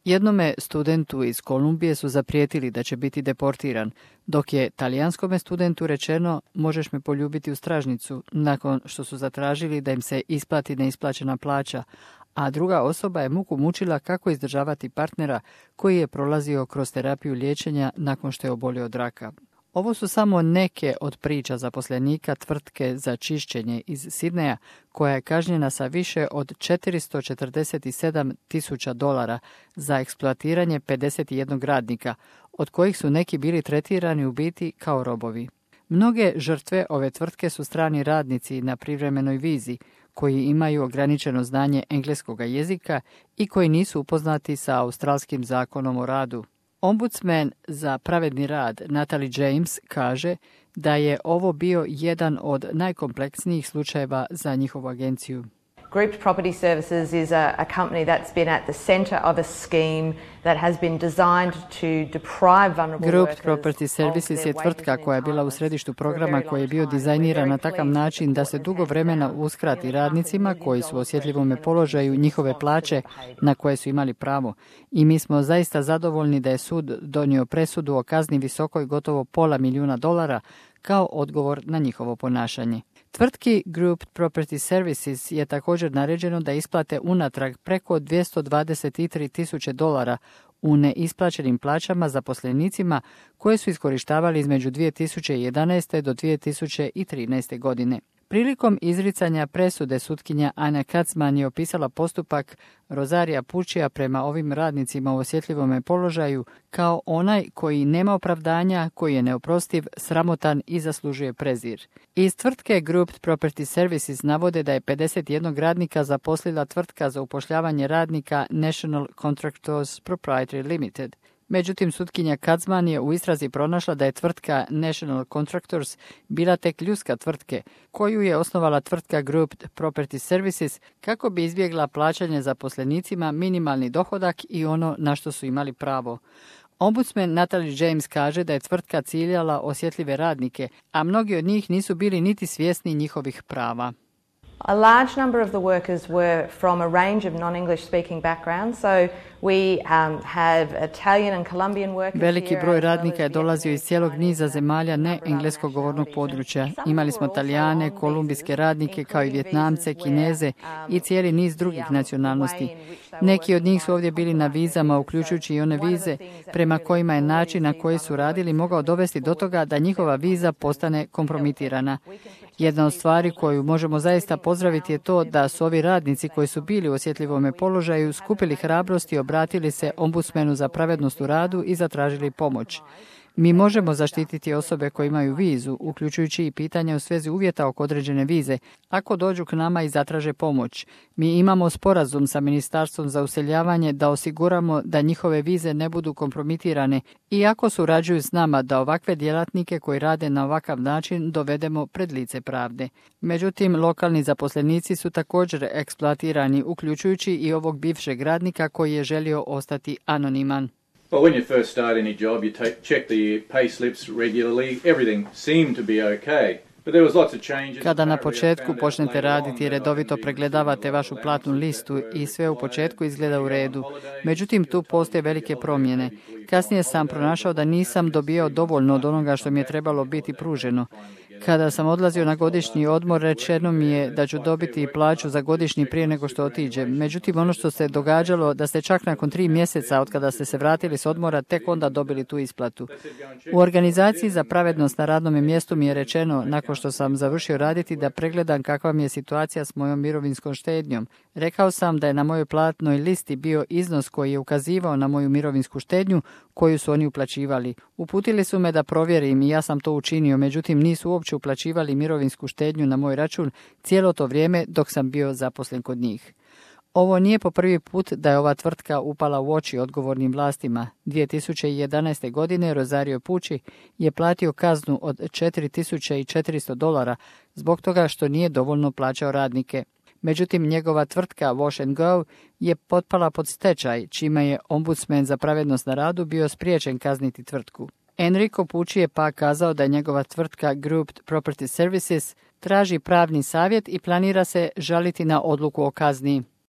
Jednome studentu iz Kolumbije su zaprijetili da će biti deportiran, dok je talijanskome studentu rečeno možeš me poljubiti u stražnicu, nakon što su zatražili da im se isplati neisplaćena plaća, a druga osoba je muku mučila kako izdržavati partnera koji je prolazio kroz terapiju liječenja nakon što je obolio od raka. Ovo su samo neke od priča zaposlenika tvrtke za čišćenje iz Sidneja, koja je kažnjena sa više od $447,000 za eksploatiranje 51 radnika, od kojih su neki bili tretirani u biti kao robovi. Mnoge žrtve ove tvrtke su strani radnici na privremenoj vizi, koji imaju ograničeno znanje engleskog jezika i koji nisu upoznati sa australskim zakonom o radu. Ombudsman za pravedni rad Natalie James kaže da je ovo bio jedan od najkompleksnijih slučajeva za njihovu agenciju. Grouped Property Services is a company that's been at the centre of a scheme that has been designed to deprive vulnerable workers. Grouped Property Services je tvrtka koja je bila u središtu programa koji je bio dizajniran na takav način da se dugo vremena uskrati radnicima koji su u osjetljivom položaju njihove plaće na koje su imali pravo. I mi smo zaista zadovoljni da je sud donio presudu o kazni visokoj gotovo $500,000 kao odgovor na njihovo ponašanje. Tvrtki Grouped Property Services je također naređeno da isplate unatrag preko $223,000 u neisplaćenim plaćama zaposlenicima koje su iskorištavali između 2011. do 2013. godine. Prilikom izricanja presude sutkinja Anja Kacman je opisala postupak Rosaria Puccija prema ovim radnicima u osjetljivom položaju kao onaj koji nema opravdanja, koji je neoprostiv, sramotan i zaslužuje prezir. Iz tvrtke Grouped Property Services navode da je 51 radnika zaposlila tvrtka za upošljavanje radnika National Contractors Proprietary Limited. Međutim, sutkinja Kacman je u istrazi pronašla da je tvrtka National Contractors bila tek ljudska tvrtke, koju je osnovala tvrtka Grouped Property Services kako bi izbjegla plaćanje zaposlenicima minimalni dohodak i ono na što su imali pravo. Ombudsman Natalie James kaže da je tvrtka ciljala osjetljive radnike, a mnogi od njih nisu bili niti svjesni njihovih prava. A large number of the workers were from a range of non-English speaking backgrounds, so we have Italian and Colombian workers. Veliki broj radnika je dolazio iz cijelog niza zemalja ne engleskog govornog područja. Imali smo Talijane, kolumbijske radnike, kao i Vjetnamce, Kineze i cijeli niz drugih nacionalnosti. Neki od njih su ovdje bili na vizama, uključujući i one vize prema kojima je način na koji su radili mogao dovesti do toga da njihova viza postane kompromitirana. Jedna od stvari koju možemo zaista pozdraviti je to da su ovi radnici koji su bili u osjetljivom položaju skupili hrabrost i obratili se ombudsmanu za pravednost u radu i zatražili pomoć. Mi možemo zaštititi osobe koje imaju vizu, uključujući i pitanja u svezi uvjeta oko određene vize, ako dođu k nama i zatraže pomoć. Mi imamo sporazum sa Ministarstvom za useljavanje da osiguramo da njihove vize ne budu kompromitirane i ako surađuju s nama da ovakve djelatnike koji rade na ovakav način dovedemo pred lice pravde. Međutim, lokalni zaposlenici su također eksploatirani, uključujući i ovog bivšeg radnika koji je želio ostati anoniman. Well, when you first start any job, you check the pay slips regularly. Everything seemed to be okay. But there was lots of changes. Kada na početku počnete raditi, redovito pregledavate vašu platnu listu i sve u početku izgleda u redu. Međutim, tu postoje velike promjene. Kasnije sam pronašao da nisam dobio dovoljno od onoga što mi je trebalo biti pruženo. Kada sam odlazio na godišnji odmor, rečeno mi je da ću dobiti plaću za godišnji prije nego što otiđem. Međutim, ono što se događalo da ste čak nakon 3 mjeseca od kada ste se vratili s odmora tek onda dobili tu isplatu. U organizaciji za pravednost na radnom mjestu mi je rečeno, nakon što sam završio raditi, da pregledam kakva mi je situacija s mojom mirovinskom štednjom. Rekao sam da je na mojoj platnoj listi bio iznos koji je ukazivao na moju mirovinsku štednju koju su oni uplaćivali. Uputili su me da provjerim i ja sam to učinio, međutim nisu uopće uplaćivali mirovinsku štednju na moj račun cijelo to vrijeme dok sam bio zaposlen kod njih. Ovo nije po prvi put da je ova tvrtka upala u oči odgovornim vlastima. 2011. godine Rosario Pucci je platio kaznu od $4,400 zbog toga što nije dovoljno plaćao radnike. Međutim, njegova tvrtka Wash and Go je potpala pod stečaj, čime je ombudsman za pravednost na radu bio spriječen kazniti tvrtku. Enrico Pucci je pak kazao da njegova tvrtka Grouped Property Services traži pravni savjet i planira se žaliti na odluku o kazni.